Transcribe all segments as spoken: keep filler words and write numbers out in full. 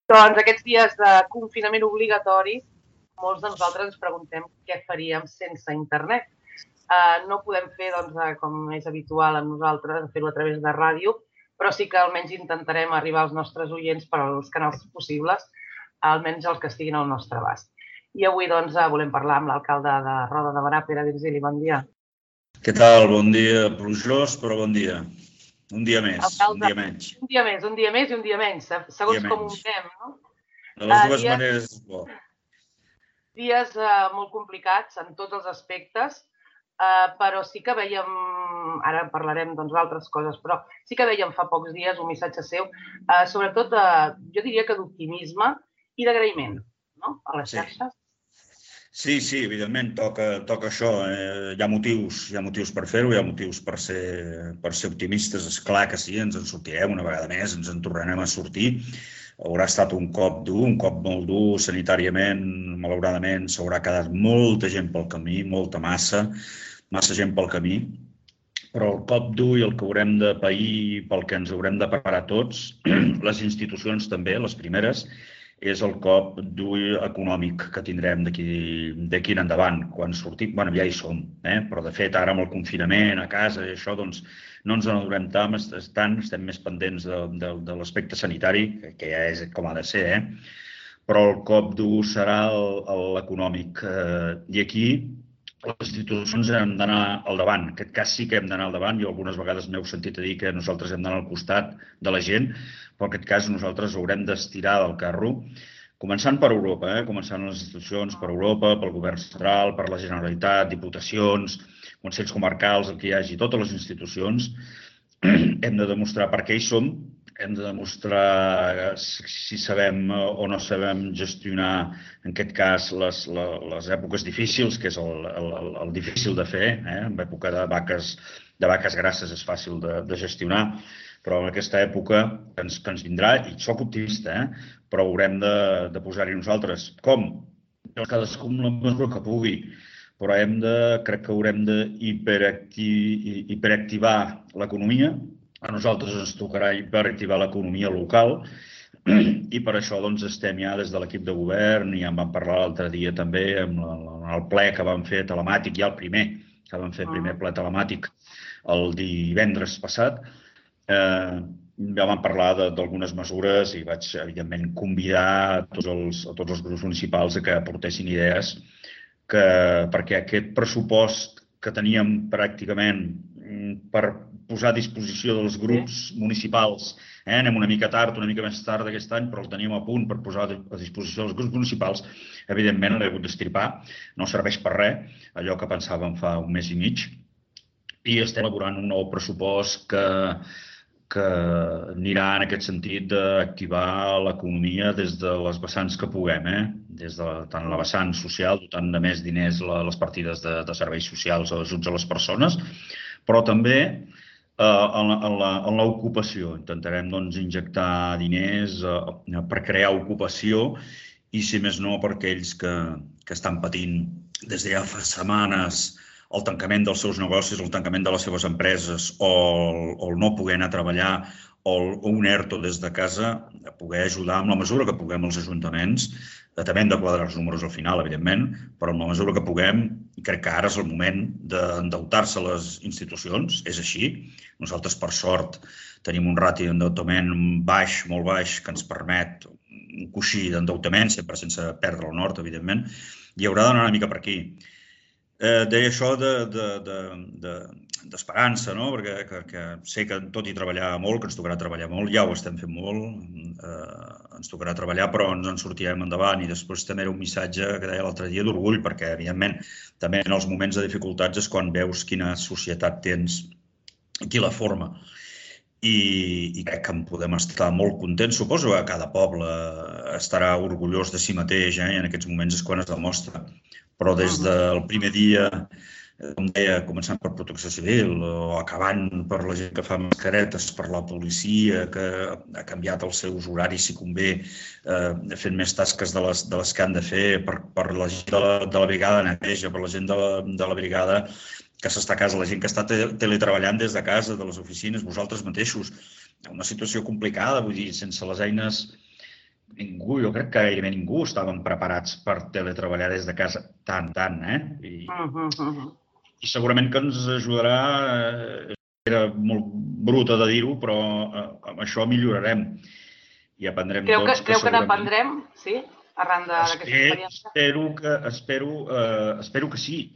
Doncs aquests dies de confinament obligatori, molts de nosaltres ens preguntem què faríem sense internet. Uh, no podem fer, doncs, com és habitual amb nosaltres, fer-ho a través de ràdio, però sí que almenys intentarem arribar als nostres oients per als canals possibles, almenys els que estiguin al nostre abast. I avui, doncs, volem parlar amb l'alcalde de Roda de Berà, Pere Virgili. Bon dia. Què tal? Bon dia, plujós, però bon dia. Un dia més, alcalde, un dia menys. Un dia més, un dia més i un dia menys, segons dia com menys. Ho fem, no? De les dues uh, dies, maneres és bo. Dies uh, molt complicats en tots els aspectes, uh, però sí que veiem, ara parlarem d'altres coses, però sí que veiem fa pocs dies un missatge seu, uh, sobretot, uh, jo diria que d'optimisme i d'agraïment, no?, a les xarxes. Sí, sí, evidentment, toca, toca això. Eh, hi ha motius, hi ha motius per fer-ho, hi ha motius per ser, per ser optimistes. És clar que sí, ens en sortirem una vegada més, ens en tornarem a sortir. Haurà estat un cop dur, un cop molt dur, sanitàriament, malauradament, s'haurà quedat molta gent pel camí, molta massa, massa gent pel camí. Però el cop dur i el que haurem de pair, pel que ens haurem de preparar tots, les institucions també, les primeres, és el cop dur econòmic que tindrem d'aquí en endavant. Quan sortim, bueno, ja hi som, eh? Però de fet ara amb el confinament a casa i això, doncs no ens n'adorem tant, estem més pendents de, de, de l'aspecte sanitari, que ja és com ha de ser, eh? Però el cop dur serà l'econòmic. I aquí les institucions hem d'anar al davant. En aquest cas sí que hem d'anar al davant. Jo algunes vegades m'heu sentit a dir que nosaltres hem d'anar al costat de la gent, però en aquest cas nosaltres haurem d'estirar del carro, començant per Europa, eh? començant les institucions per Europa, pel govern central, per la Generalitat, diputacions, consells comarcals, el que hi hagi, totes les institucions. Hem de demostrar per què hi som, hem de demostrar si sabem o no sabem gestionar, en aquest cas, les, les èpoques difícils, que és el, el, el difícil de fer. Eh? En època de vaques, de vaques grasses és fàcil de, de gestionar, però en aquesta època que ens, que ens vindrà, i soc optimista, eh? Però haurem de, de posar-hi nosaltres. Com? Cadascú amb la mesura que pugui, però hem de, crec que haurem de hiperactiv, hiperactivar l'economia. A nosaltres ens tocarà hiperactivar l'economia local i per això doncs, estem ja des de l'equip de govern, i en vam parlar l'altre dia també amb el ple que vam fer telemàtic, ja el primer, que vam fer el primer ple telemàtic el divendres passat. Eh, ja vam parlar d'algunes mesures i vaig, evidentment, convidar a tots els, a tots els grups municipals a que aportessin idees que, perquè aquest pressupost que teníem pràcticament per posar a disposició dels grups municipals, eh, anem una mica tard, una mica més tard d'aquest any, però el teníem a punt per posar a disposició dels grups municipals, evidentment l'he hagut d'estripar, no serveix per res, allò que pensàvem fa un mes i mig, i estem elaborant un nou pressupost que que anirà en aquest sentit d'activar l'economia des de les vessants que puguem, eh? Des de tant la vessant social, dotant de més diners les partides de, de serveis socials o ajuts a les persones, però també eh, en l'ocupació. Intentarem doncs, injectar diners eh, per crear ocupació i, si més no, per aquells que, que estan patint des de ja fa setmanes el tancament dels seus negocis, el tancament de les seves empreses o el, o el no poder anar a treballar o, el, o un ERTO des de casa, a poder ajudar amb la mesura que puguem els ajuntaments. També hem de quadrar els números al final, evidentment, però amb la mesura que puguem, crec que ara és el moment d'endeutar-se a les institucions, és així. Nosaltres, per sort, tenim un ràtio d'endeutament baix, molt baix, que ens permet un coixí d'endeutament, sempre sense perdre el nord, evidentment, i haurà d'anar una mica per aquí. Eh, deia això d'esperança, de, de, de, no? Perquè que, que sé que tot i treballar molt, que ens tocarà treballar molt, ja ho estem fent molt, eh, ens tocarà treballar, però ens en sortirem endavant. I després també era un missatge que deia l'altre dia d'orgull, perquè, evidentment, també en els moments de dificultats és quan veus quina societat tens i qui la forma. I, i crec que en podem estar molt contents. Suposo que cada poble estarà orgullós de si mateix, eh? I en aquests moments és quan es demostra. Però des del primer dia, com deia, començant per Protecció Civil o acabant per la gent que fa mascaretes, per la policia, que ha canviat els seus horaris si convé, eh, fent més tasques de les, de les que han de fer, per, per la gent de la, de la brigada neteja, per la gent de la, de la brigada que s'està a casa, la gent que està teletreballant des de casa, de les oficines, vosaltres mateixos. Una situació complicada, vull dir, sense les eines ningú, jo crec que gairebé ningú estaven preparats per teletreballar des de casa tant, tant, eh? I, Uh -huh. i segurament que ens ajudarà, eh, era molt bruta de dir-ho, però eh, amb això millorarem i aprendrem Creu que, tots que creu que segurament... n'aprendrem, sí? Arran d'aquesta experiència? Espero que, espero, eh, espero que sí.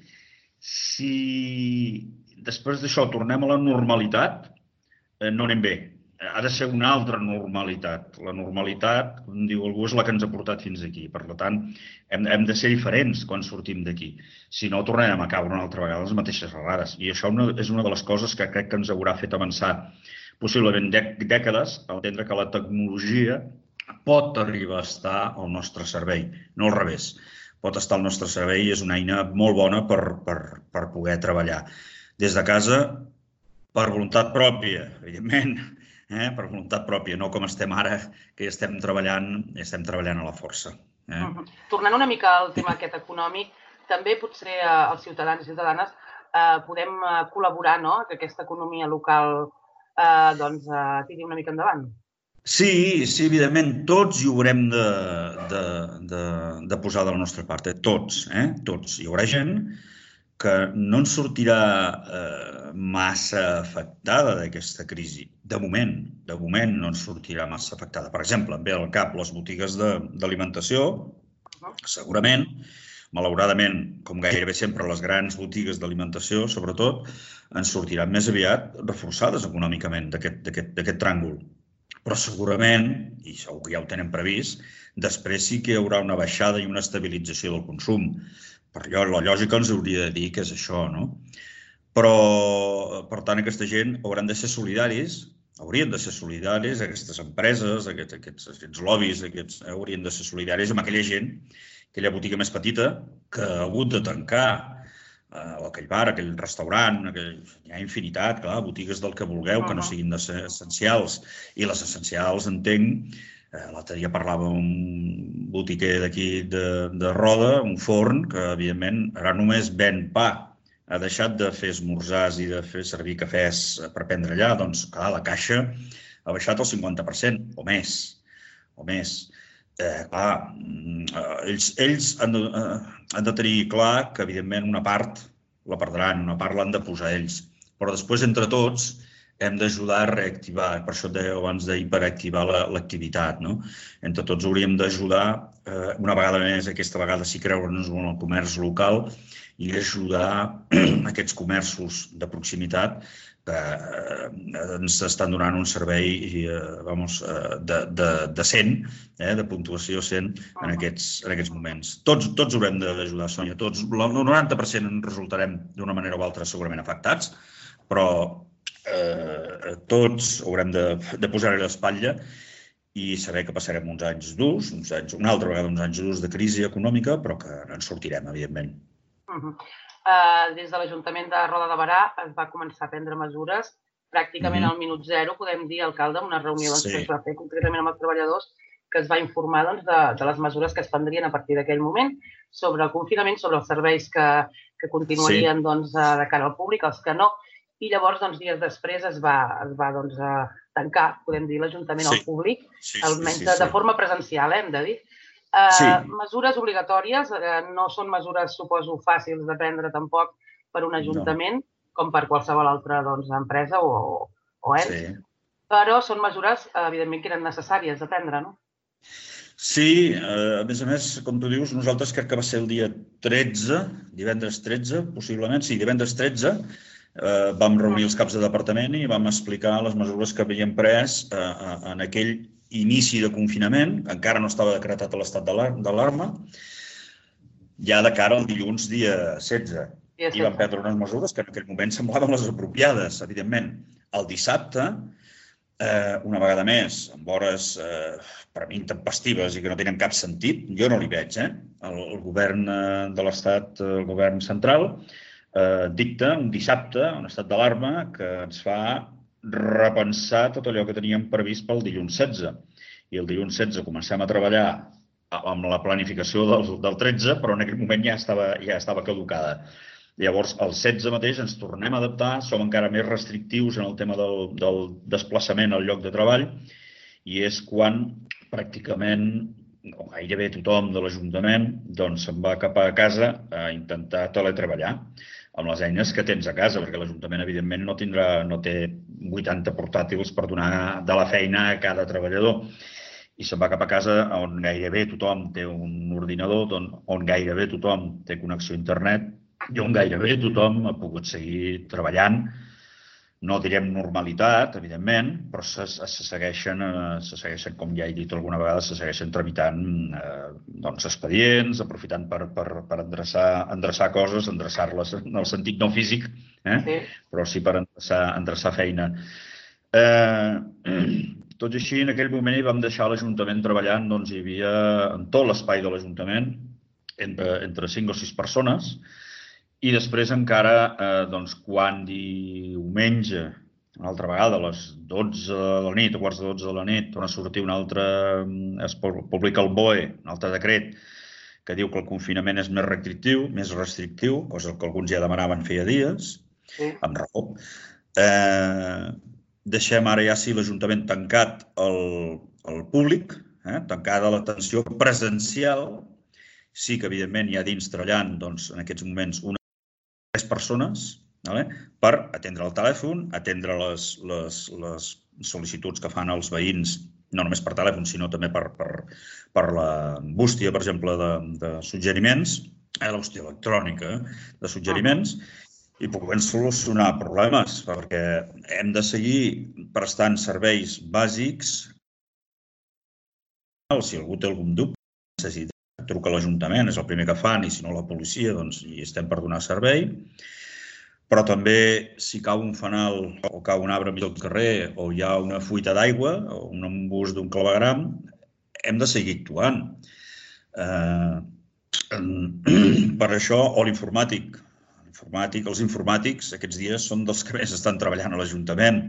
Si després d'això tornem a la normalitat, eh, no anem bé. Ha de ser una altra normalitat. La normalitat, com diu algú, és la que ens ha portat fins aquí. Per tant, hem, hem de ser diferents quan sortim d'aquí. Si no, tornarem a caure una altra vegada les mateixes errades. I això una, és una de les coses que crec que ens haurà fet avançar possiblement dècades, a entendre que la tecnologia pot arribar a estar al nostre servei, no al revés. Pot estar al nostre servei i és una eina molt bona per, per, per poder treballar. Des de casa, per voluntat pròpia, evidentment, eh? per voluntat pròpia, no com estem ara, que estem treballant, estem treballant a la força. Eh? Uh -huh. Tornant una mica al tema aquest econòmic, també potser eh, els ciutadans i ciutadanes eh, podem eh, col·laborar, no?, que aquesta economia local eh, doncs, eh, tiri una mica endavant. Sí, sí, evidentment, tots hi haurem de, de, de, de posar de la nostra part, eh? tots, eh? tots. Hi haurà gent que no ens sortirà eh, massa afectada d'aquesta crisi. De moment, de moment no ens sortirà massa afectada. Per exemple, em ve al cap les botigues d'alimentació, segurament, malauradament, com gairebé sempre, les grans botigues d'alimentació, sobretot, ens sortiran més aviat reforçades econòmicament d'aquest tràngol. Però segurament, i segur que ja ho tenen previst, després sí que hi haurà una baixada i una estabilització del consum. Per allò, la lògica ens hauria de dir que és això, no? Però, per tant, aquesta gent hauran de ser solidaris, haurien de ser solidaris, aquestes empreses, aquests, aquests, aquests lobbies, aquests, eh, haurien de ser solidaris amb aquella gent, aquella botiga més petita, que ha hagut de tancar, o aquell bar, aquell restaurant, aquell... hi ha infinitat, clar, botigues del que vulgueu, que no siguin de ser essencials. I les essencials, entenc, eh, l'altre dia parlava amb un botiquer d'aquí de, de Roda, un forn, que, evidentment, ara només ven pa. Ha deixat de fer esmorzars i de fer servir cafès per prendre allà, doncs, clar, la caixa ha baixat el cinquanta per cent, o més, o més. Eh, clar, ells, ells han, de, eh, han de tenir clar que, evidentment, una part la perdran, una part l'han de posar ells. Però després, entre tots, hem d'ajudar a reactivar, per això et deia abans d'hiperactivar l'activitat, no? Entre tots hauríem d'ajudar, eh, una vegada més, aquesta vegada sí creure'ns en el comerç local i ajudar aquests comerços de proximitat que ens estan donant un servei vamos, de, de, de cent, eh, de puntuació cent en aquests, en aquests moments. Tots, tots haurem d'ajudar, Sònia, tots. El noranta per cent en resultarem d'una manera o altra segurament afectats, però eh, tots haurem de, de posar-hi l'espatlla i saber que passarem uns anys durs, uns anys, una altra vegada uns anys durs de crisi econòmica, però que ens sortirem, evidentment. Uh -huh. uh, des de l'Ajuntament de Roda de Berà es va començar a prendre mesures pràcticament uh -huh. al minut zero, podem dir, alcalde, una reunió doncs, sí. que es va fer concretament amb els treballadors, que es va informar doncs, de, de les mesures que es prendrien a partir d'aquell moment sobre el confinament, sobre els serveis que, que continuarien sí. doncs, de cara al públic, els que no, i llavors, doncs, dies després es va, es va doncs, tancar, podem dir, l'Ajuntament sí. al públic, sí, sí, almenys sí, sí, sí. de forma presencial, eh, hem de dir. Uh, sí. Mesures obligatòries, uh, no són mesures, suposo, fàcils de prendre tampoc per un ajuntament, no. com per qualsevol altra doncs, empresa o, o ens, sí. però són mesures, evidentment, que eren necessàries de prendre, no? Sí, uh, a més a més, com tu dius, nosaltres crec que va ser el dia tretze, divendres tretze, possiblement, sí, divendres tretze, uh, vam reunir els caps de departament i vam explicar les mesures que havíem pres uh, en aquell inici de confinament, encara no estava decretat l'estat d'alarma, ja de cara al dilluns dia setze. I vam prendre unes mesures que en aquell moment semblaven les apropiades, evidentment. El dissabte, eh, una vegada més, amb hores eh, per mi intempestives i que no tenen cap sentit, jo no li veig, eh? El, el govern de l'estat, el govern central, eh, dicta un dissabte un estat d'alarma que ens fa repensar tot allò que teníem previst pel dilluns setze. I el dilluns setze comencem a treballar amb la planificació del, del tretze, però en aquell moment ja estava, ja estava caducada. Llavors, el setze mateix ens tornem a adaptar, som encara més restrictius en el tema del, del desplaçament al lloc de treball, i és quan pràcticament, o gairebé tothom de l'Ajuntament, doncs se'n va cap a casa a intentar teletreballar amb les eines que tens a casa, perquè l'Ajuntament, evidentment, no tindrà, no té vuitanta portàtils per donar de la feina a cada treballador. I se'n va cap a casa on gairebé tothom té un ordinador, on gairebé tothom té connexió a internet i on gairebé tothom ha pogut seguir treballant. No direm normalitat, evidentment, però se segueixen, se segueixen, com ja he dit alguna vegada, se segueixen tramitant expedients, aprofitant per endreçar coses, endreçar-les en el sentit no físic, però sí per endreçar feina. Tot i així, en aquell moment hi vam deixar l'Ajuntament treballant, doncs hi havia en tot l'espai de l'Ajuntament entre cinc o sis persones. I després encara, quan diumenge, una altra vegada, a les dotze de la nit, a quarts de dotze de la nit, torna a sortir un altre, es publica el B O E, un altre decret, que diu que el confinament és més restrictiu, més restrictiu, cosa que alguns ja demanaven feia dies, amb raó. Deixem ara ja sí l'Ajuntament tancat al públic, tancada l'atenció presencial. Sí que, evidentment, hi ha dins treballant, en aquests moments, una tres persones per atendre el telèfon, atendre les sol·licituds que fan els veïns, no només per telèfon, sinó també per la bústia, per exemple, de suggeriments, la bústia electrònica de suggeriments, i puguem solucionar problemes, perquè hem de seguir prestant serveis bàsics. Si algú té algun dubte, necessita truca a l'Ajuntament, és el primer que fan, i si no la policia, doncs hi estem per donar servei. Però també, si cau un fanal o cau un arbre enmig del carrer o hi ha una fuita d'aigua o un embús d'un clavegueram, hem de seguir actuant. Per això, o l'informàtic. Els informàtics aquests dies són dels que més estan treballant a l'Ajuntament.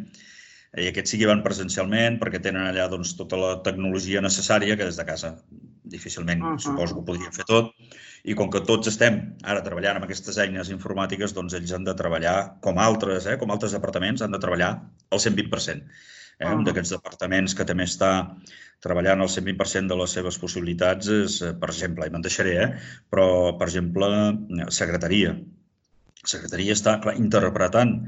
I aquests sí que van presencialment perquè tenen allà tota la tecnologia necessària que des de casa difícilment suposo que ho podrien fer tot. I com que tots estem ara treballant amb aquestes eines informàtiques, doncs ells han de treballar, com altres, com altres departaments, han de treballar al cent vint per cent. Un d'aquests departaments que també està treballant al cent vint per cent de les seves possibilitats és, per exemple, i me'n deixaré, però, per exemple, secretaria. Secretaria està interpretant,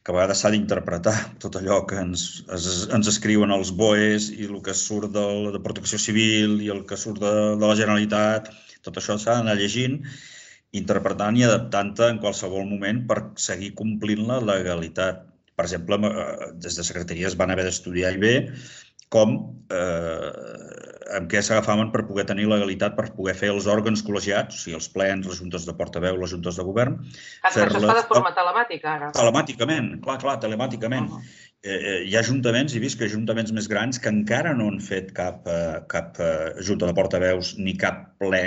que a vegades s'ha d'interpretar tot allò que ens escriuen els B O Es i el que surt de Protecció Civil i el que surt de la Generalitat, tot això s'ha d'anar llegint, interpretant i adaptant-te en qualsevol moment per seguir complint la legalitat. Per exemple, des de Secretaria es van haver d'estudiar i bé com, amb què s'agafaven per poder tenir legalitat, per poder fer els òrgans col·legiats, o sigui, els plens, les juntes de portaveu, les juntes de govern. Això es fa de forma telemàtica, ara? Telemàticament, clar, clar, telemàticament. Hi ha ajuntaments, he vist que ajuntaments més grans que encara no han fet cap junta de portaveus ni cap ple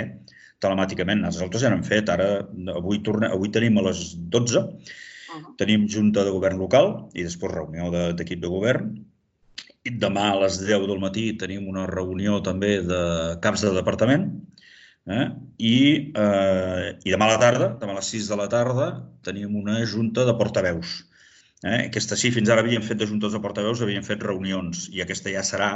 telemàticament. Nosaltres ja n'hem fet, ara, avui tenim a les dotze, tenim junta de govern local i després reunió d'equip de govern. I demà a les deu del matí tenim una reunió també de caps de departament i demà a la tarda, demà a les sis de la tarda, tenim una junta de portaveus. Aquesta sí, fins ara havíem fet de juntes de portaveus, havíem fet reunions i aquesta ja serà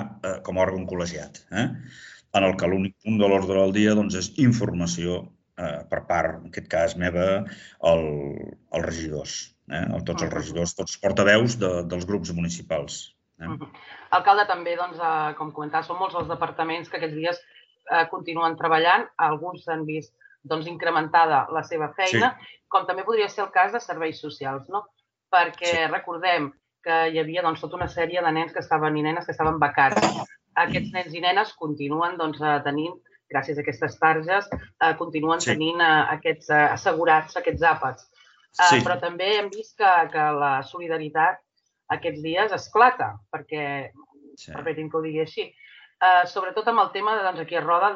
com a òrgan col·legiat, en el que l'únic punt de l'ordre del dia és informació per part, en aquest cas meva, als regidors, tots els regidors, tots els portaveus dels grups municipals. Alcalde, també, com comentava, són molts els departaments que aquests dies continuen treballant. Alguns s'han vist incrementada la seva feina, com també podria ser el cas de serveis socials, no? Perquè recordem que hi havia tota una sèrie de nens i nenes que estaven becats. Aquests nens i nenes continuen tenint, gràcies a aquestes targes, continuen tenint assegurats aquests àpats. Però també hem vist que la solidaritat aquests dies esclata, perquè, permetin que ho digui així, sobretot amb el tema aquí a Roda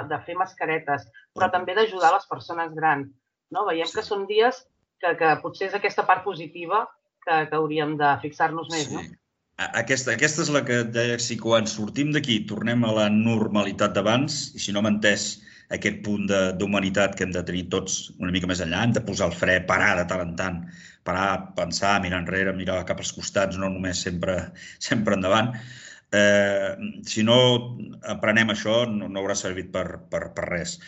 de fer mascaretes, però també d'ajudar les persones grans. Veiem que són dies que potser és aquesta part positiva que hauríem de fixar-nos més, no? Aquesta és la que deia, si quan sortim d'aquí tornem a la normalitat d'abans, i si no m'ha entès aquest punt d'humanitat que hem de tenir tots una mica més enllà, hem de posar el fre, parar de tant en tant, parar, pensar, mirar enrere, mirar cap als costats, no només sempre endavant. Eh, si no aprenem això, no, no haurà servit per, per, per res.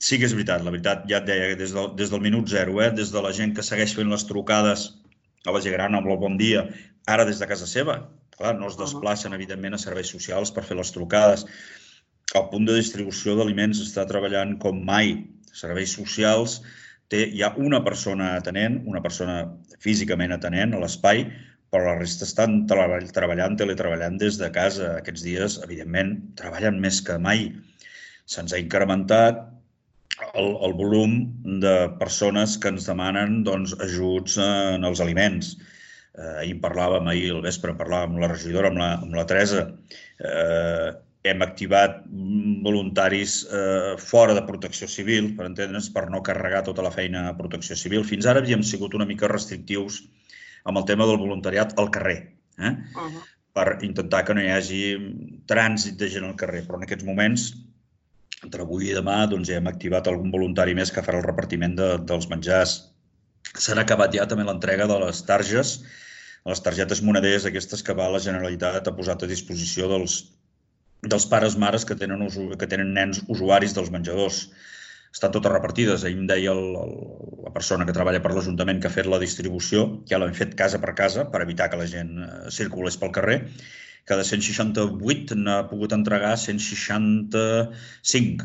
Sí que és veritat, la veritat, ja et deia, des del, des del minut zero, eh, des de la gent que segueix fent les trucades a la gent gran amb el bon dia, ara des de casa seva. Clar, no es desplacen, evidentment, a serveis socials per fer les trucades. El punt de distribució d'aliments està treballant com mai. Serveis socials té, hi ha una persona atenent, una persona físicament atenent a l'espai, però la resta estan treballant, teletreballant des de casa. Aquests dies, evidentment, treballen més que mai. Se'ns ha incrementat el, el volum de persones que ens demanen doncs, ajuts en els aliments. Eh, ahir parlàvem, ahir al vespre parlàvem amb la regidora, amb la, amb la Teresa. Eh, hem activat voluntaris eh, fora de protecció civil, per entendre'ns, per no carregar tota la feina a protecció civil. Fins ara havíem sigut una mica restrictius amb el tema del voluntariat al carrer, eh? Uh-huh. Per intentar que no hi hagi trànsit de gent al carrer. Però en aquests moments, entre avui i demà, doncs, ja hem activat algun voluntari més que farà el repartiment de, dels menjars. S'han acabat ja també l'entrega de les targes, les targetes moneders aquestes que va la Generalitat ha posat a disposició dels, dels pares mares que tenen, que tenen nens usuaris dels menjadors. Estan totes repartides. Ahir em deia el, el, la persona que treballa per l'Ajuntament que ha fet la distribució, ja l'hem fet casa per casa per evitar que la gent circulés pel carrer, que de cent seixanta-vuit n'ha pogut entregar cent seixanta-cinc.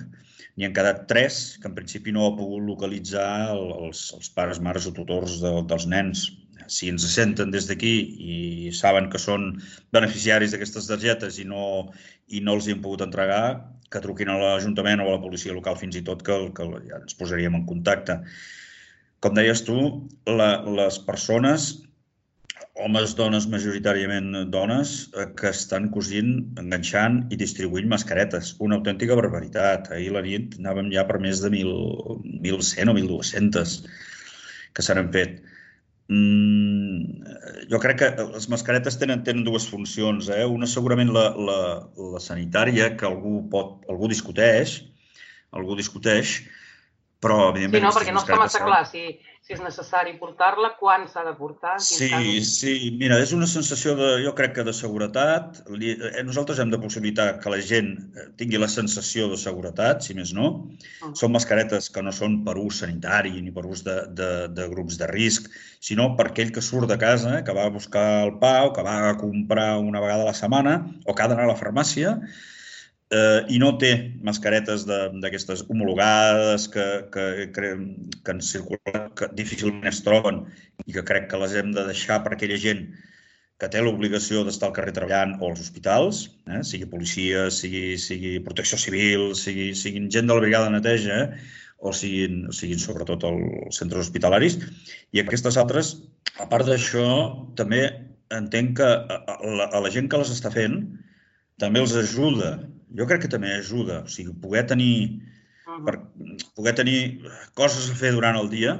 N'hi han quedat tres, que en principi no ha pogut localitzar els, els pares, mares o tutors de, dels nens. Si ens senten des d'aquí i saben que són beneficiaris d'aquestes targetes i no, i no els hi hem pogut entregar, que truquin a l'Ajuntament o a la policia local fins i tot, que, que ja ens posaríem en contacte. Com deies tu, la, les persones, homes, dones, majoritàriament dones, que estan cosint, enganxant i distribuint mascaretes. Una autèntica barbaritat. Ahir a la nit anàvem ja per més de mil cent o mil dues-centes que se n'han fet. Mm, jo crec que les mascaretes tenen, tenen dues funcions. Eh? Una segurament la, la, la sanitària, que algú, pot, algú discuteix, algú discuteix, però evidentment... Sí, no, perquè no està massa clar si, si és necessari portar-la, quan s'ha de portar... Sí, sí, mira, és una sensació, de, jo crec que de seguretat. Nosaltres hem de possibilitar que la gent tingui la sensació de seguretat, si més no. Uh-huh. Són mascaretes que no són per ús sanitari ni per ús de, de, de grups de risc, sinó per aquell que surt de casa, que va a buscar el pa o que va a comprar una vegada a la setmana o que ha d'anar a la farmàcia, Eh, i no té mascaretes d'aquestes homologades que, que, que, que ens circulen, que difícilment es troben i que crec que les hem de deixar per aquella gent que té l'obligació d'estar al carrer treballant o als hospitals, eh, sigui policia, sigui, sigui protecció civil, sigui, siguin gent de la brigada de neteja, eh, o siguin, siguin sobretot els centres hospitalaris. I aquestes altres, a part d'això, també entenc que a la, a la gent que les està fent també els ajuda. Jo crec que també ajuda, o sigui, poder tenir, per, poder tenir coses a fer durant el dia,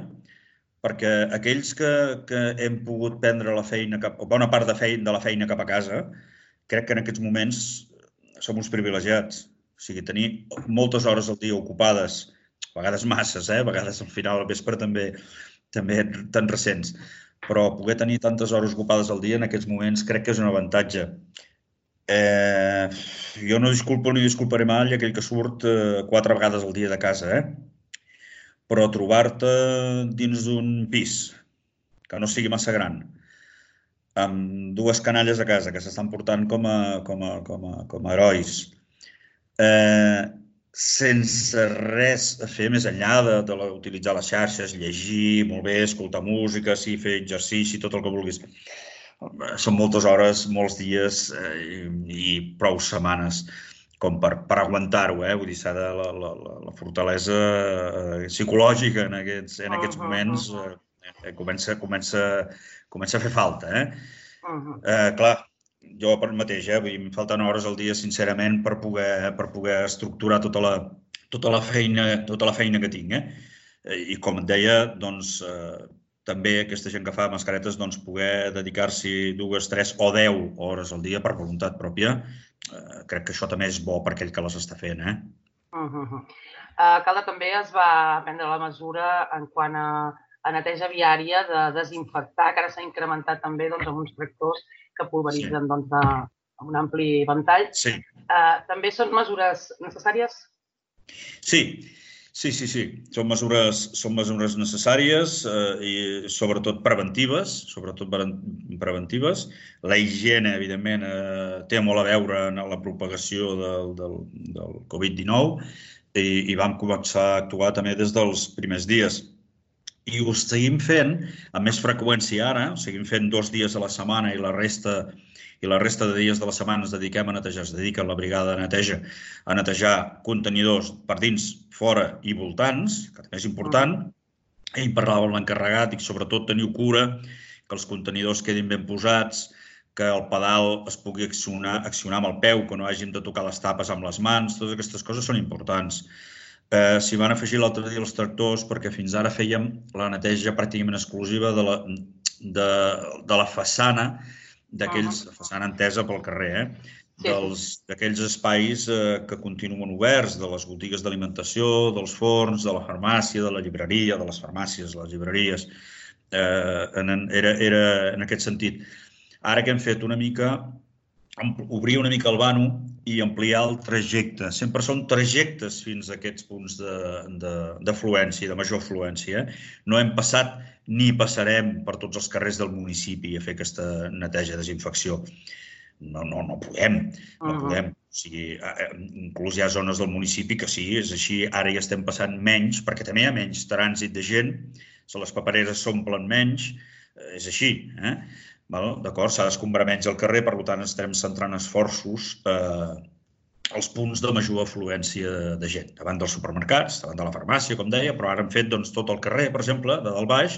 perquè aquells que, que hem pogut prendre la feina, cap, o bona part de, feina, de la feina cap a casa, crec que en aquests moments som uns privilegiats. O sigui, tenir moltes hores al dia ocupades, a vegades masses, eh? A vegades al final al vespre també, també tan recents, però poder tenir tantes hores ocupades al dia en aquests moments crec que és un avantatge. Eh, jo no disculpo ni disculparé mai aquell que surt eh, quatre vegades al dia de casa, eh? Però trobar-te dins d'un pis que no sigui massa gran, amb dues canalles a casa que s'estan portant com a, com a, com a, com a herois, eh, sense res a fer més enllà de, de utilitzar les xarxes, llegir, molt bé, escoltar música, sí, fer exercici, tot el que vulguis. Són moltes hores, molts dies eh, i prou setmanes com per, per aguantar-ho, eh? Vull dir, s'ha de la, la, la fortalesa eh, psicològica en aquests, en aquests moments eh, comença, comença, comença a fer falta, eh? Uh-huh. eh clar, jo per mateix, eh? Vull dir, em falten hores al dia, sincerament, per poder, per poder estructurar tota la, tota la feina, tota la feina que tinc, eh? I com et deia, doncs, eh, també aquesta gent que fa mascaretes doncs, poder dedicar-s'hi dues, tres o deu hores al dia per voluntat pròpia, eh, crec que això també és bo per aquell que les està fent. Eh? Uh-huh. uh, Calda també es va prendre la mesura en quant a, a neteja viària de desinfectar, que ara s'ha incrementat també doncs, amb uns tractors que pulveritzen sí. doncs, de, un ampli ventall. Sí. També són mesures necessàries? Sí, sí, sí, sí. Són mesures, són mesures necessàries i sobretot preventives, sobretot preventives. La higiene, evidentment, té molt a veure en la propagació del, del, del covid dinou i, i vam començar a actuar també des dels primers dies. I ho seguim fent amb més freqüència ara, ho seguim fent dos dies a la setmana i la resta i la resta de dies de la setmana ens dediquem a netejar, es dedica la brigada de neteja a netejar contenidors per dins, fora i voltants, que també és important. Ell parlava amb l'encarregat i sobretot teniu cura que els contenidors quedin ben posats, que el pedal es pugui accionar, accionar amb el peu, que no hàgim de tocar les tapes amb les mans, totes aquestes coses són importants. Eh, S'hi van afegir l'altre dia els tractors perquè fins ara fèiem la neteja pràcticament exclusiva de la, de, de la façana, d'aquells, la façana entesa pel carrer, eh? D'aquells espais eh, que continuen oberts, de les botigues d'alimentació, dels forns, de la farmàcia, de la llibreria, de les farmàcies, les llibreries. Eh, en, era, era en aquest sentit. Ara que hem fet una mica, obrir una mica el vano i ampliar el trajecte. Sempre són trajectes fins a aquests punts d'afluència, de, de, de major afluència. No hem passat ni passarem per tots els carrers del municipi a fer aquesta neteja, desinfecció. No, no, no podem, no podem. O sigui, inclús hi ha zones del municipi que sí, és així, ara hi estem passant menys, perquè també hi ha menys trànsit de gent, les papereres s'omplen menys, és així, eh? D'acord, s'ha d'escombrar menys el carrer, per tant estem centrant esforços als punts de major afluència de gent, davant dels supermercats, davant de la farmàcia, com deia, però ara hem fet tot el carrer, per exemple, de dalt baix,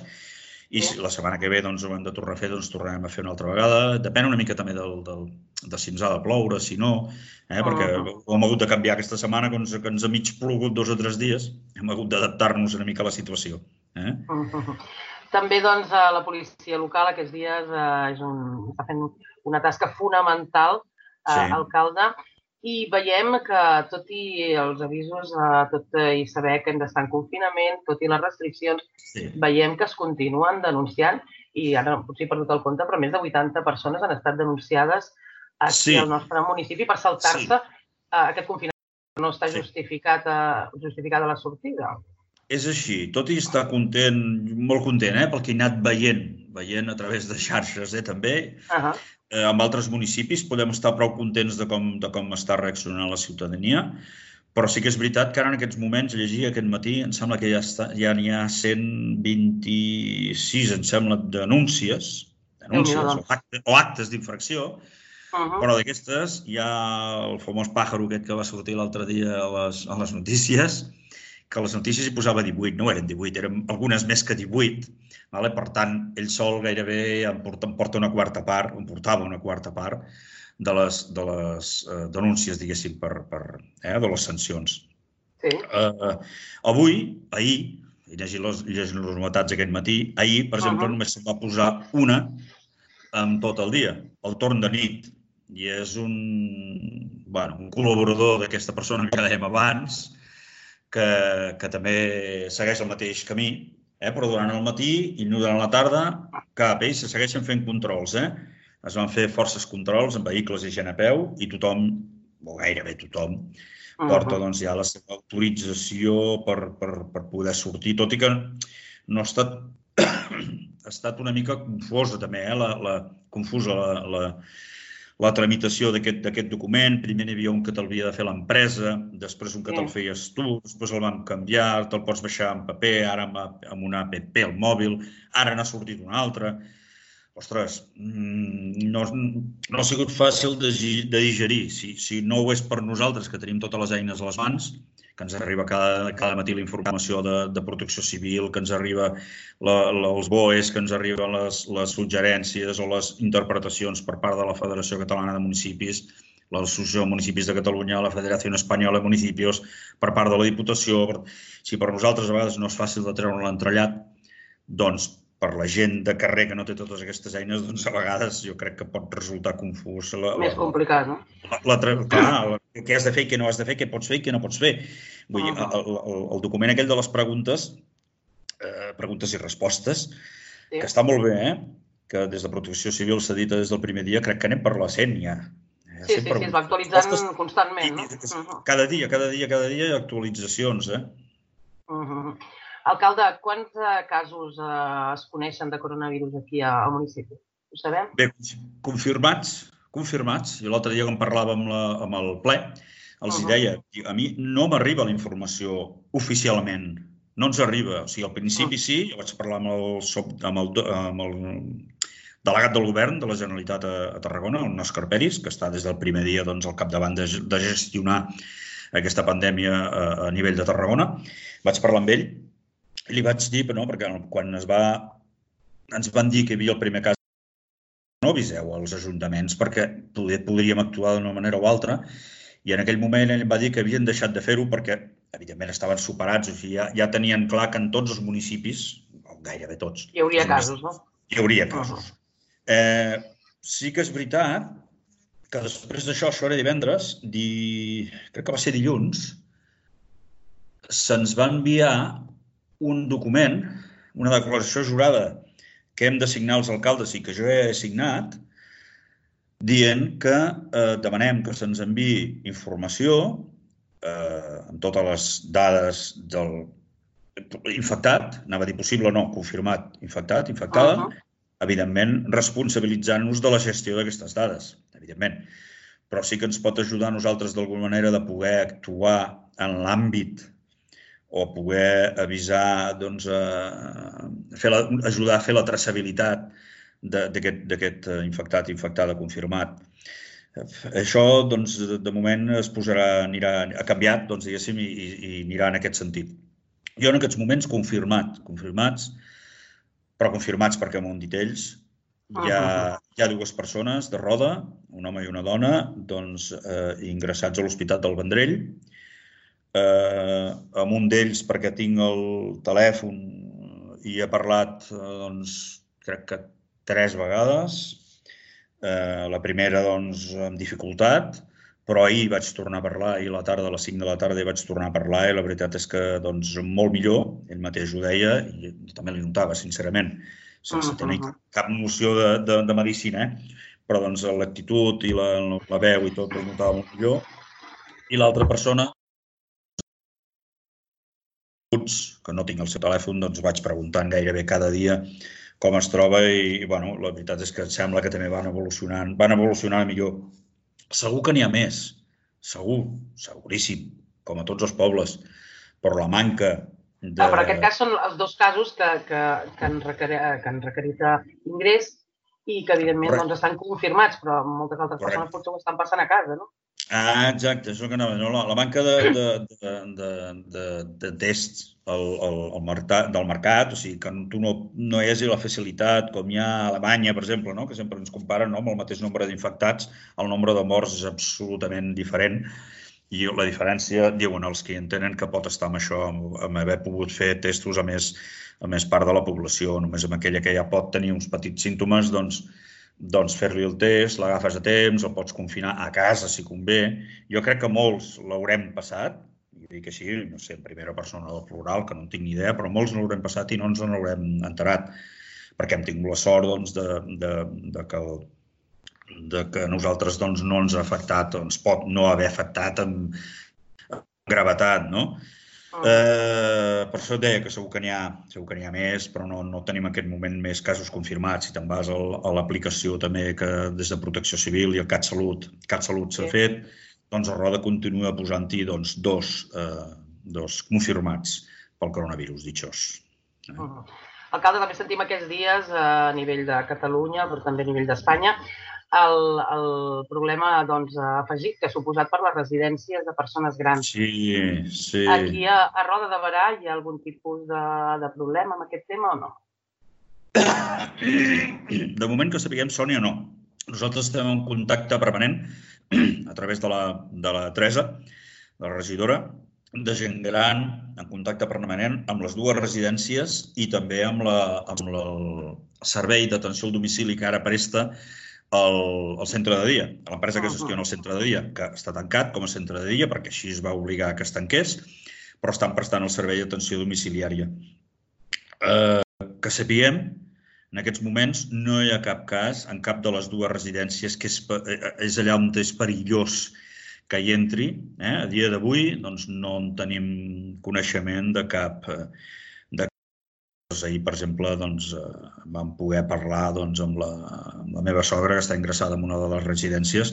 i la setmana que ve ho hem de tornar a fer, doncs tornarem a fer una altra vegada. Depèn una mica també de si ens ha de ploure, si no, perquè ho hem hagut de canviar aquesta setmana, que ens ha mig plogut dos o tres dies, hem hagut d'adaptar-nos una mica a la situació. També, doncs, la policia local aquests dies està fent una tasca fonamental, alcalde, i veiem que, tot i els avisos, tot i saber que hem d'estar en confinament, tot i les restriccions, veiem que es continuen denunciant, i ara potser he perdut el compte, però més de vuitanta persones han estat denunciades aquí al nostre municipi per saltar-se aquest confinament. No està justificada la sortida. És així, tot i estar content, molt content, pel que he anat veient, veient a través de xarxes també, en altres municipis podem estar prou contents de com està reaccionant la ciutadania, però sí que és veritat que ara en aquests moments, llegia aquest matí, em sembla que ja n'hi ha cent vint-i-sis, em sembla, denúncies, o actes d'infracció, però d'aquestes hi ha el famós pàjaro aquest que va sortir l'altre dia a les notícies, que a les notícies hi posava divuit, no eren divuit, eren algunes més que divuit. Per tant, ell sol gairebé em porta una quarta part, em portava una quarta part de les denúncies, diguéssim, de les sancions. Avui, ahir, he llegit les novetats aquest matí, ahir, per exemple, només se'n va posar una en tot el dia, el torn de nit. I és un col·laborador d'aquesta persona que dèiem abans, que també segueix el mateix camí, però durant el matí i durant la tarda cap, ells se segueixen fent controls. Es van fer forces controls amb vehicles i gent a peu i tothom, o gairebé tothom, porta ja la seva autorització per poder sortir, tot i que no ha estat ha estat una mica confosa també, confusa la tramitació d'aquest document. Primer n'hi havia un que t'havia de fer l'empresa, després un que te'l feies tu, després el vam canviar, te'l pots baixar en paper, ara amb una app al mòbil, ara n'ha sortit un altre. Ostres, no ha sigut fàcil de digerir. Si no ho és per nosaltres, que tenim totes les eines a les mans, que ens arriba cada matí la informació de protecció civil, que ens arriba els B O Es, que ens arriben les suggerències o les interpretacions per part de la Federació Catalana de Municipis, l'Associació de Municipis de Catalunya, la Federació Espanyola de Municipis, per part de la Diputació. Si per nosaltres a vegades no és fàcil de treure l'entrellat, doncs per la gent de carrer que no té totes aquestes eines, doncs a vegades jo crec que pot resultar confús. Més complicat, no? Clar, què has de fer i què no has de fer, què pots fer i què no pots fer. Vull dir, el document aquell de les preguntes, preguntes i respostes, que està molt bé, que des de Protecció Civil s'edita des del primer dia, crec que anem per la cent ja. Sí, sí, sí, es va actualitzant constantment, no? Cada dia, cada dia, cada dia hi ha actualitzacions, eh? Alcalde, quants casos es coneixen de coronavirus aquí al municipi? Ho sabem? Bé, confirmats, confirmats. I l'altre dia quan parlàvem amb el ple, els deia, a mi no m'arriba la informació oficialment, no ens arriba. O sigui, al principi sí, jo vaig parlar amb el delegat del govern de la Generalitat a Tarragona, el Òscar Peris, que està des del primer dia al capdavant de gestionar aquesta pandèmia a nivell de Tarragona. Vaig parlar amb ell i li vaig dir, perquè quan ens van dir que hi havia el primer cas, no aviseu als ajuntaments perquè podríem actuar d'una manera o altra, i en aquell moment ell em va dir que havien deixat de fer-ho perquè, evidentment, estaven superats, o sigui, ja tenien clar que en tots els municipis, gairebé tots... Hi hauria casos, no? Hi hauria casos. Sí que és veritat que després d'això, això era divendres, crec que va ser dilluns, se'ns va enviar un document, una declaració jurada que hem de signar els alcaldes i que jo he signat, dient que demanem que se'ns enviï informació amb totes les dades del infectat, anava a dir possible o no, confirmat, infectat, infectada, evidentment responsabilitzant-nos de la gestió d'aquestes dades, evidentment. Però sí que ens pot ajudar a nosaltres d'alguna manera de poder actuar en l'àmbit o poder avisar, doncs, ajudar a fer la traçabilitat d'aquest infectat, infectada, confirmat. Això, doncs, de moment es posarà, ha canviat, doncs, diguéssim, i anirà en aquest sentit. Jo en aquests moments confirmat, confirmats, però confirmats perquè m'ho han dit ells, hi ha dues persones de Roda, un home i una dona, doncs, ingressats a l'Hospital del Vendrell, amb un d'ells perquè tinc el telèfon i he parlat, doncs, crec que tres vegades. La primera, doncs, amb dificultat, però ahir vaig tornar a parlar, ahir a la tarda, a les cinc de la tarda, vaig tornar a parlar i la veritat és que, doncs, molt millor, ell mateix ho deia, i també li notava, sincerament, sense tenir cap noció de medicina, però, doncs, l'actitud i la veu i tot el notava molt millor. I l'altra persona, que no tinc el seu telèfon, doncs vaig preguntant gairebé cada dia com es troba i, bueno, la veritat és que sembla que també van evolucionant, van evolucionant millor. Segur que n'hi ha més, segur, seguríssim, com a tots els pobles, però la manca de... Però en aquest cas són els dos casos que han requerit ingrés i que, evidentment, doncs estan confirmats, però moltes altres persones potser ho estan passant a casa, no? Ah, exacte, és el que anava. La manca de tests del mercat, o sigui, que tu no hi hagi la facilitat, com hi ha a Alemanya, per exemple, que sempre ens comparen amb el mateix nombre d'infectats, el nombre de morts és absolutament diferent i la diferència, diuen els que hi entenen, que pot estar amb això, amb haver pogut fer testos a més part de la població, només amb aquella que ja pot tenir uns petits símptomes, doncs doncs fer-li el test, l'agafes a temps, el pots confinar a casa si convé. Jo crec que molts l'haurem passat, i dic així, no sé, en primera persona del plural, que no en tinc ni idea, però molts l'haurem passat i no ens n'haurem enterat, perquè hem tingut la sort de que a nosaltres no ens ha afectat, ens pot no haver afectat amb gravetat, no? Per això et deia que segur que n'hi ha més, però no tenim en aquest moment més casos confirmats. Si te'n vas a l'aplicació també que des de Protecció Civil i el CatSalut s'ha fet, doncs a Roda continua posant-hi dos confirmats pel coronavirus, ditxós. Alcalde, també sentim aquests dies a nivell de Catalunya, però també a nivell d'Espanya, el problema afegit que ha suposat per les residències de persones grans. Sí, sí. Aquí a Roda de Berà hi ha algun tipus de problema amb aquest tema o no? De moment que sapiguem, Sònia, no. Nosaltres estem en contacte permanent a través de la Teresa, de la regidora, de gent gran, en contacte permanent amb les dues residències i també amb el servei d'atenció al domicili que ara presta al centre de dia, a l'empresa que gestiona el centre de dia, que està tancat com a centre de dia perquè així es va obligar que es tanqués, però estan prestant el servei d'atenció domiciliària. Que sapiguem, En aquests moments no hi ha cap cas en cap de les dues residències que és, és allà on és perillós que hi entri. Eh? A dia d'avui doncs, no en tenim coneixement de cap... De... Ahir, per exemple, doncs, vam poder parlar doncs, amb, la, amb la meva sogra, que està ingressada en una de les residències,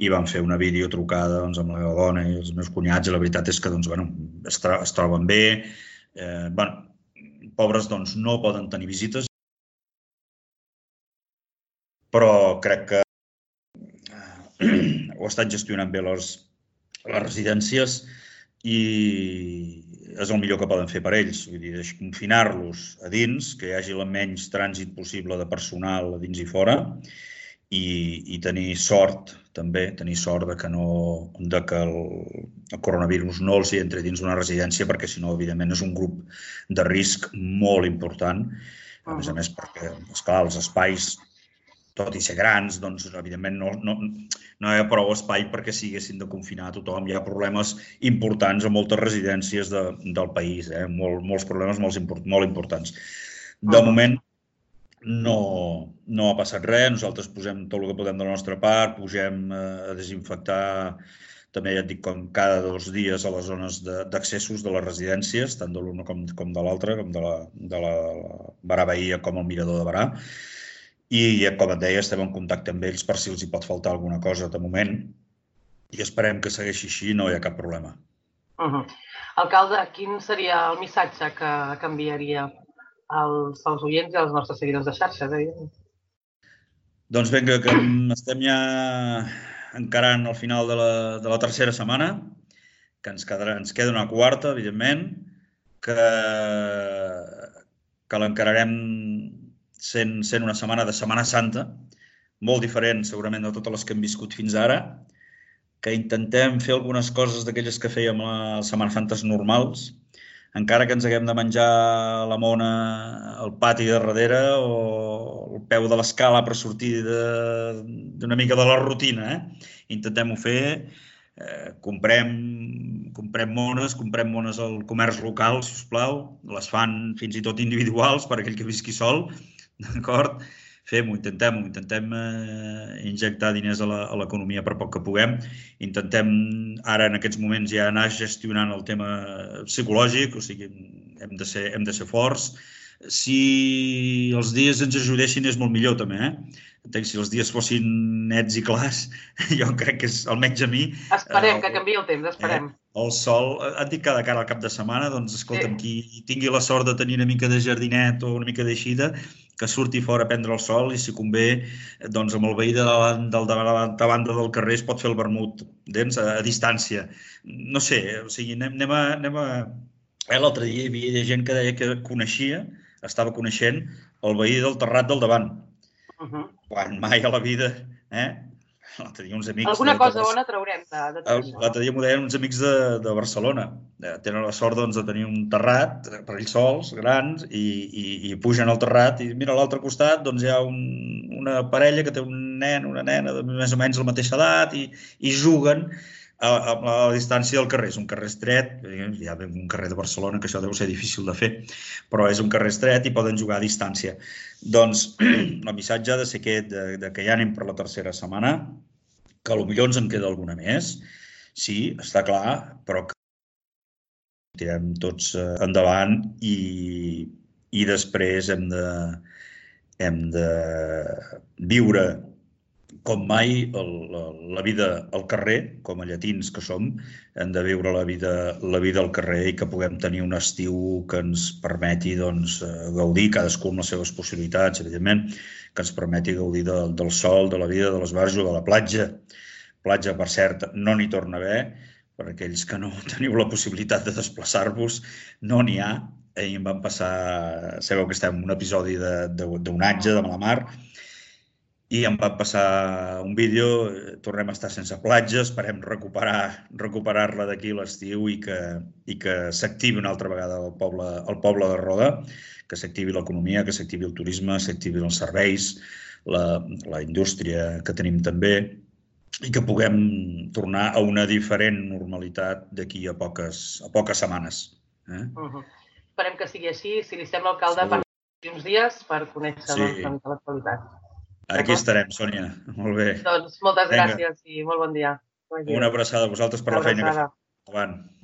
i vam fer una videotrucada doncs, amb la meva dona i els meus cunyats, i la veritat és que doncs, bueno, es, es troben bé. Eh, bueno, pobres doncs, no poden tenir visites, però crec que ho estan gestionant bé les, les residències i és el millor que poden fer per ells. Vull dir, confinar-los a dins, que hi hagi el menys trànsit possible de personal a dins i fora i, i tenir sort, també, tenir sort de que, no, de que el, el coronavirus no els hi entri dins una residència, perquè si no, evidentment, és un grup de risc molt important. A més a més, perquè, esclar, els espais, tot i ser grans, doncs, evidentment, no, no, no hi ha prou espai perquè siguessin de confinar a tothom. Hi ha problemes importants a moltes residències de, del país, eh? Mol, molts problemes molt, import, molt importants. De moment, no, no ha passat res. Nosaltres posem tot el que podem de la nostra part, pugem a desinfectar, també ja et dic, com cada dos dies a les zones d'accessos de, de les residències, tant de l'una com, com de l'altra, com de la, de la Barà Bahia com el Mirador de Barà. I, com et deia, estem en contacte amb ells per si els hi pot faltar alguna cosa de moment i esperem que segueixi així i no hi ha cap problema. Uh -huh. Alcalde, quin seria el missatge que, que enviaria als, als oients i als nostres seguidors de xarxes? Eh? Doncs vinga, que estem ja encarant el final de la, de la tercera setmana, que ens, quedarà, ens queda una quarta, evidentment, que, que l'encararem Sent, sent una setmana de Setmana Santa, molt diferent segurament de totes les que hem viscut fins ara, que intentem fer algunes coses d'aquelles que fèiem a les Setmanes Santes normals, encara que ens haguem de menjar la mona al pati de darrere o al peu de l'escala per sortir d'una mica de la rutina. Eh? Intentem-ho fer, eh, comprem, comprem mones, comprem mones al comerç local, si us plau, les fan fins i tot individuals per aquell que visqui sol, d'acord? Fem-ho, intentem-ho, intentem eh, injectar diners a l'economia per poc que puguem. Intentem ara en aquests moments ja anar gestionant el tema psicològic, o sigui, hem de ser, hem de ser forts. Si els dies ens ajudessin és molt millor també, eh? Entenc, si els dies fossin nets i clars, jo crec que és, almenys a mi... Esperem eh, que canviï el temps, esperem. Eh, el sol, et dic cada cara al cap de setmana, doncs escolta'm, sí. Qui tingui la sort de tenir una mica de jardinet o una mica d'eixida, que surti fora a prendre el sol i si convé, doncs amb el veí de la, de la banda del carrer es pot fer el vermut, dents, a, a distància. No sé, o sigui, anem, anem a... Anem a... Eh, l'altre dia hi havia gent que deia que coneixia, estava coneixent el veí del terrat del davant. Uh -huh. Quan mai a la vida, eh? L'altre dia uns amics... Alguna cosa de... bona traurem de, de tot això. L'altre dia m'ho deien uns amics de, de Barcelona. Tenen la sort doncs, de tenir un terrat per ells sols, grans, i, i, i pugen al terrat i mira a l'altre costat doncs, hi ha un, una parella que té un nen, una nena de més o menys la mateixa edat i, i juguen a, a, a la distància del carrer. És un carrer estret, hi ha un carrer de Barcelona que això deu ser difícil de fer, però és un carrer estret i poden jugar a distància. Doncs el missatge ha de ser aquest, de, de que ja anem per la tercera setmana, que potser ens en queda alguna més, sí, està clar, però que tirem tots endavant i, i després hem de, hem de viure com mai el, la, la vida al carrer, com a llatins que som, hem de viure la vida, la vida al carrer i que puguem tenir un estiu que ens permeti doncs, gaudir, cadascú amb les seves possibilitats, evidentment, que ens permeti gaudir de, del sol, de la vida, de l'esbarjo, de la platja. Platja, per cert, no n'hi torna a haver, per aquells que no teniu la possibilitat de desplaçar-vos, no n'hi ha. Ahir em van passar, sabeu que estem en un episodi d'onatge, de mala mar, i em van passar un vídeo, tornem a estar sense platja, esperem recuperar recuperar-la d'aquí l'estiu i que, i que s'activi una altra vegada el poble, el poble de Roda, que s'activi l'economia, que s'activi el turisme, s'activin els serveis, la, la indústria que tenim també, i que puguem tornar a una diferent normalitat d'aquí a poques, a poques setmanes. Eh? Uh-huh. Esperem que sigui així. Si li sembla, alcalde, uns dies per conèixer Sí. doncs, una mica l'actualitat. Aquí estarem, Sònia. Molt bé. Doncs moltes Vinga. gràcies i molt bon dia. Una abraçada a vosaltres per Una la feina que abraçada. feu. Endavant.